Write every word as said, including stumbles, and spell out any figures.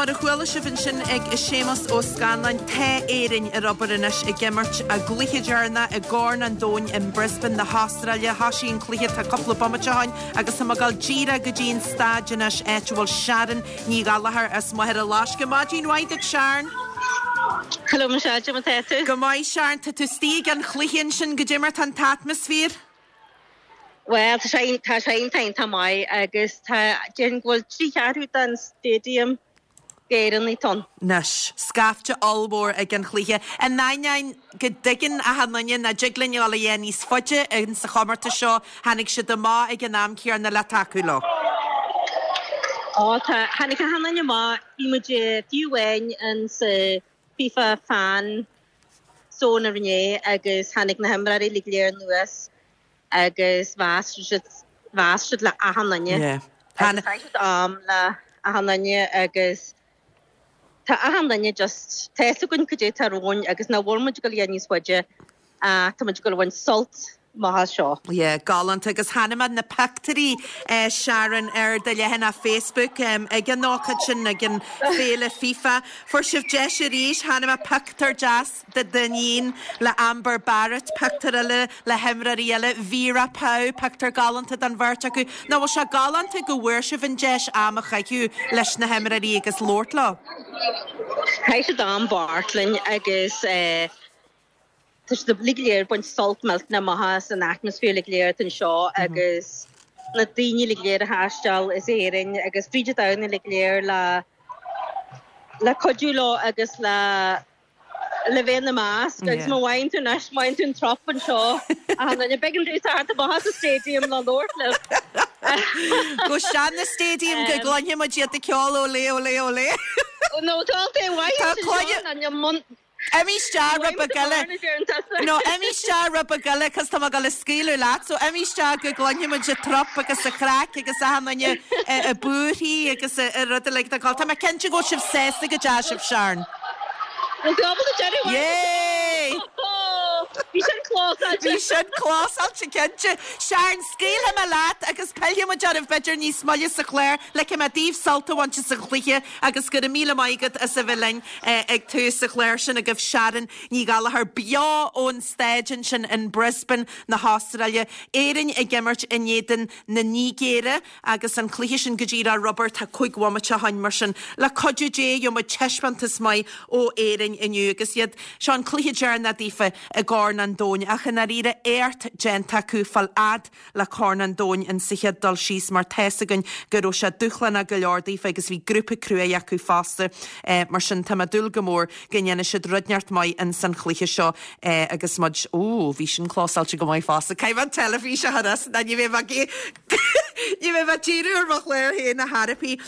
Mar a chuala sibh ansin ag Séamus Ó Scanláin tá Éirinn ar obair anois ag imirt a gcluiche deireanach i gCorn an Domhain in Brisbane na hAstráile Thosaigh an cluiche tá cúpla bomaite ó shin agus tá ag dul díreach go dtí an staid anois áit a bhfuil Sharon Ní Ghallchóir as Machaire Loiscthe. Maidin mhaith duit Sharon. Hello Michelle, tá tú? Go maith Sharon tá tú istigh ag an chluiche ansin goidé mar tá an t-atmaisféar? Well tá sé tá sé iontach maith agus tá den bhfuil trí cheathrú den stadium d'Éireannaigh ann. Anois, scaifte ollmhór ag an chluiche. An n-aithneáin go dtuigeann achan duine nach dtig linn dul a dhéanamh níos faide in sa chomórtas seo, tháinig siad amach ag an am céanna le tacú leo. Ó tá tháinig achan duine amach bhí muid fiú amháin in sa FIFA fan zone aréir agus tháinig na himreoirí le léir anuas agus mheas siad mheas siad le achan duine. Yeah. Agus chaith siad am le achan duine agus tá achan duine just tá gon cad tá romhainn agus nach bhfuil muid go léir níos faide tá muid go bhain sult maith seo. Yeah, galánta agus chonaic mé na pictiúirí eh, Sharon ar do leathanach Facebook um, ag an ócáid sin ag an féile FIFA. Fuair sibh deis arís chonaic mé pictiúr deas de d'iníon le Amber Barrett, pictiúr eile le himreoirí eile, Vera Pauw, pictiúr galánta den bheirt acu. Ná bhfuil sé galánta go bhfuair sibh an deis am a chaitheamh leis na himreoirí agus labhairt leo. Chaith siad am bart linn agus eh, Tá siad le léir baint sult millteanach maith san atmaisféar le léir anseo agus na daoine le léir a thaistil as Éirinn agus fríd an domhan le léir le le cuidiú leo agus le le bheith ina measc agus má bhain tú anois main tú an trop anseo a na began dú a sa stadium le labhairt leo. Go sean na stadium go gcluinfidh muid iad ag ceol olé olé olé. No tá Tá cloigne- Imigh isteach rud beag eile. No imigh isteach rud beag eile cos tá go le scaoileadh leat, so imigh isteach go gcluinfidh muid an trup agus an chraic agus achan duine ag búirthí agus a rud le Tá mé cinnte go sibh sásta go deas sibh Sharon. Yay! Bhí sin clósáilte. Bhí sin clósáilte cinnte. Sharon scaoilfidh mé leat agus pillfidh muid oraibh b'fhéidir níos moille sa chlár, ligfidh mé daoibh sult a bhaint as an chluiche agus go raibh míle maith agat as a bheith linn ag tús an chláir sin agaibh Sharon Ní Ghallchóir beo ón staid ansin in Brisbane na hAstráile. Éirinn ag imirt in éadan na Nigéire agus an cluiche sin go dtí ar obair tá cúig bhomaite ó shin mar sin le cuidiú Dé gheobhaidh muid taispeántas maith ó Éirinn inniu agus iad seo an cluiche deireanach daofa i gCorn an Domhain ach in áiríre éacht déanta acu fáil fhad le Corn an Domhain in sa chéad dul síos mar tá fhios againn go raibh sé dúshlánach go leor daofa agus bhí grúpa crua acu fosta eh, mar sin tá mé ag dúil go mór go ndéanfaidh siad rud inteacht maith in san chluiche seo eh, agus muid ó bhí sin clósáilte go maith fosta. Caithfidh an teilifís a chur as ní bheidh ní bheidh díriú ar mo chlár féin a therapy.